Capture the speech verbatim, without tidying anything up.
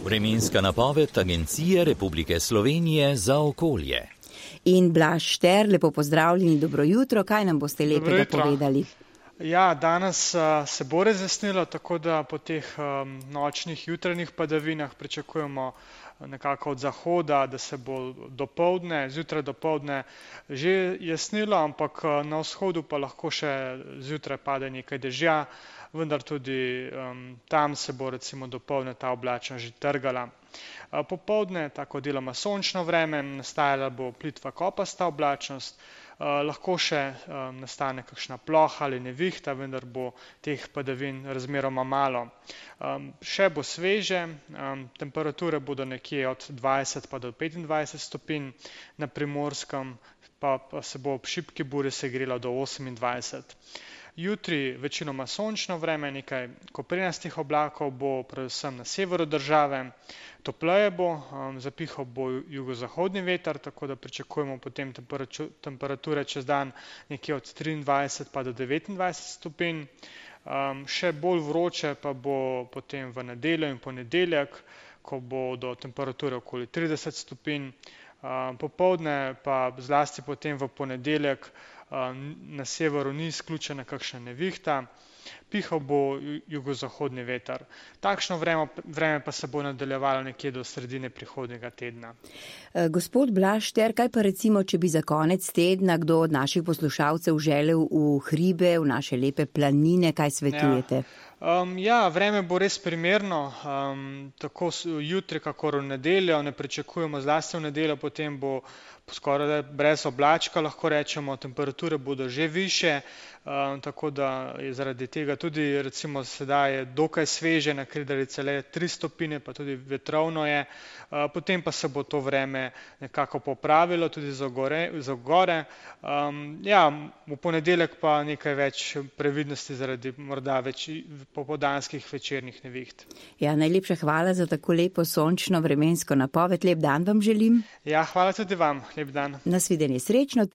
Vremenska napoved Agencije Republike Slovenije za okolje. In Blaž Šter, lepo pozdravljeni, dobro jutro, kaj nam boste lepega povedali? Ja, danes uh, se bo razjasnilo, tako da po teh um, nočnih jutranjih padavinah pričakujemo nekako od zahoda, da se bo dopoldne, zjutraj dopoldne že jasnilo, ampak na vzhodu pa lahko še zjutraj pade nekaj dežja, vendar tudi um, tam se bo recimo dopoldne ta oblačnost že trgala. Popoldne, tako deloma sončno vreme, nastajala bo plitva kopasta oblačnost, uh, lahko še um, nastane kakšna ploha ali nevihta, vendar bo teh padavin razmeroma malo. Um, še bo sveže, um, temperature bodo nekje od dvajset pa do petindvajset stopinj, na Primorskem pa, pa se bo ob šibki buri segrelo do osemindvajset. Jutri večinoma sončno vreme, nekaj koprenastih oblakov bo predvsem na severu države, topleje bo, um, zapihal bo jugozahodni veter, tako da pričakujemo potem temperature čez dan nekje od triindvajset pa do devetindvajset stopinj. Um, še bolj vroče pa bo potem v nedeljo in ponedeljek, ko bodo temperature okoli trideset stopinj. Um, popoldne pa zlasti potem v ponedeljek na severu ni izključena kakšna nevihta, pihal bo jugozahodni veter. Takšno vreme, vreme pa se bo nadaljevalo nekje do sredine prihodnjega tedna. Gospod Blaž Šter, kaj pa recimo, če bi za konec tedna kdo od naših poslušalcev želel v hribe, v naše lepe planine, kaj svetujete? Ja. Um, ja, vreme bo res primerno, um, tako jutri, kakor v nedeljo, ne pričakujemo zlasti v nedeljo, potem bo skoraj brez oblačka, lahko rečemo, temperature bodo že više, um, tako da je zaradi tega tudi recimo sedaj je dokaj sveže, na Kredarici le tri stopinje, pa tudi vetrovno je, uh, potem pa se bo to vreme nekako popravilo tudi za gore. Za gore. Um, ja, v ponedeljek pa nekaj več previdnosti zaradi morda več popoldanskih večernih neviht. Ja, najlepša hvala za tako lepo sončno vremensko napoved. Lep dan vam želim. Ja, hvala tudi vam. Lep dan. Nasvidenje, srečno.